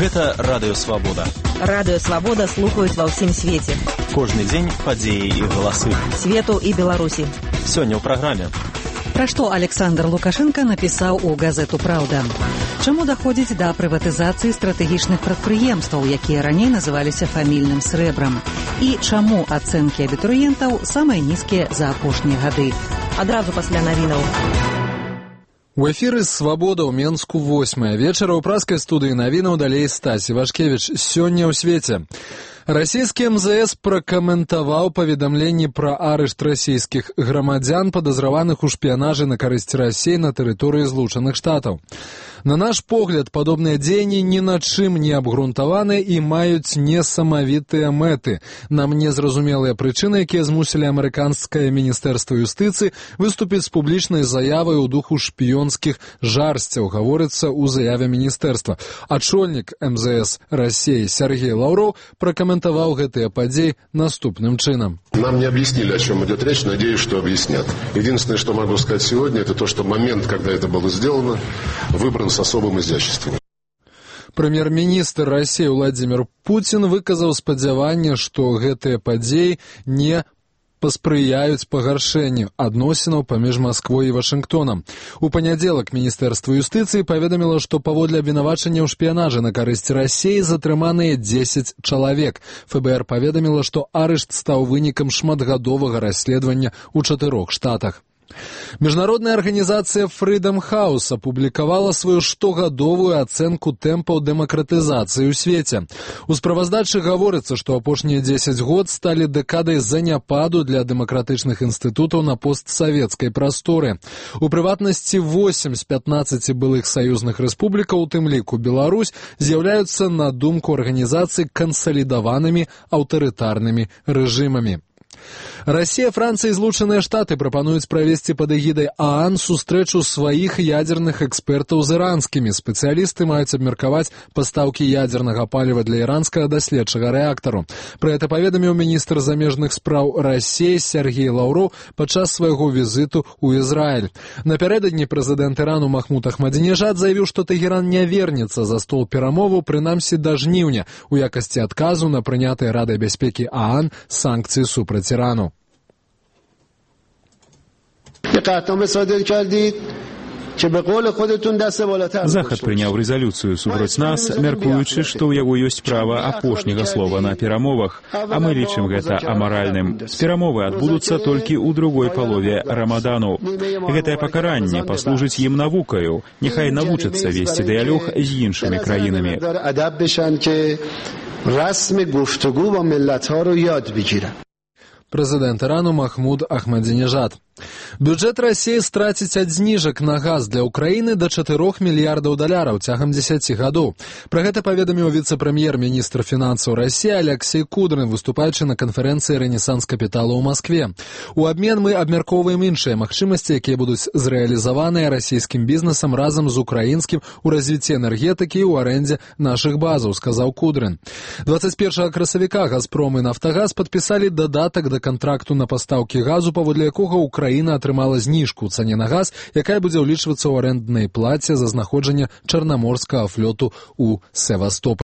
Гэта Радыё Свабода. Радыё Свабода слухаюць ва ўсім свеце. Кожны дзень падзеі і галасы. Свету і Беларусі. Сёння ў праграме. Пра што Александр Лукашенко напісаў у газету «Праўда». Чаму даходзіць да прыватызацыі стратэгічных прадпрыемстваў, якія раней называліся фамільным срэбрам? І чаму ацэнкі абітурыентаў самыя нізкія за апошнія гады? Адразу пасля навінаў. У эфіры «Свабода» ў Менску 8 вечара ў праскай студыі навінаў далей Стась Івашкевіч. Сёння ў свеце. Расійскі МЗС пракаментаваў паведамленні пра арышт расійскіх грамадзян, падазраваных у шпіянажы на карысць Расіі на тэрыторыі Злучаных Штатаў. На наш погляд, падобныя дзеянні ні на чым не абгрунтаваны і маюць несамавітыя мэты. Нам незразумелыя прычыны, якія змусілі амерыканскае міністэрства юстыцыі выступіць з публічнай заявай у духу шпіёнскіх жарсцяў, гаворыцца ў заяве міністэрства. Ачольнік МЗС Расіі Сергей Лаўроў пракаментаваў гэтыя падзеі наступным чынам. Нам не объяснили, о чем идет речь, надеюсь, что объяснят. Единственное, что могу сказать сегодня, это то, что момент, когда это было сделано, выбран с особым изяществом. Прэм'ер-міністр Расіі Владзімір Пуцін выказаў спадзяванне, што гэтыя падзеі не паспрыяюць пагаршэнню адносінаў паміж Масквой і Вашынгтонам. У панядзелак Міністэрства юстыцыі паведаміла, што паводле абвінавачання ў шпіянажы на карысць Расіі затрыманыя 10 чалавек. ФБР паведаміла, што арышт стаў вынікам шматгадовага расследавання ў 4 штатах. Міжнародная арганізацыя Freedom House апублікавала сваю штогадовую ацэнку тэмпаў дэмакратызацыі ў свеце. У справаздачы гаворыцца, што апошнія 10 год сталі дэкадай заняпаду для дэмакратычных інстытутаў на постсавецкай прасторы. У прыватнасці 8 з 15 былых саюзных рэспублікаў, у тым ліку Беларусь, з'яўляюцца, на думку арганізацыі, кансалідаванымі аўтарытарнымі рэжымамі. Расія, Францыя і Злучаныя Штаты прапануюць правесці пад эгідай ААН сустрэчу сваіх ядзерных экспертаў з іранскімі. Спецыялісты маюць абмеркаваць пастаўкі ядзернага паліва для іранскага даследчага рэактару. Пра гэта паведаміў міністр замежных спраў Расіі Сергей Лаўроў падчас свайго візіту ў Ізраіль. Напярэдадні прэзідэнт Ірану Махмуд Ахмадзінежад заявіў, што Тэгеран не вернецца за стол перамоваў, прынамсі да жніўня, у якасці адказу на прынятыя Радай бяспекі ААН санкцыі супраць Ірану. Захад прыняў рэзалюцыю супраць нас, мяркуючы, што ў яго ёсць права апошняга слова на перамовах, а мы лічым гэта амаральным. Перамовы адбудуцца толькі ў другой палове рамадану. Гэтае пакаранне паслужыць ім навукаю. Няхай навучацца весці дыялог з іншымі краінамі. Прэзідэнт Ірану Махмуд Ахмадзінежад. Бюджэт Расіі страціць ад зніжак на газ для ўкраіны да $4 мільярдаў цягам 10 гадоў. Пра гэта паведаміў віцэ-прэм'ер-міністр фінансаў Расіі Алексей Кудрин, выступаючы на канферэнцыі «Рэнесанс капітала» ў Маскве. У абмен мы абмяркоўваем іншыя магчымасці, якія будуць зрэалізаваныя расійскім бізнесам разам з украінскім у развіцці энергетыкі і ў арэндзе нашых базаў, сказаў Кудрин. 21 красавіка «Газпром» і «Нафтагаз» падпісалі дадатак да кантракту на пастаўкі газу, паводле якога Украіна атрымала зніжку ў цане на газ, якая будзе ўлічвацца ў арэнднай плаце за знаходжанне чарнаморскага флоту ў Севастополі.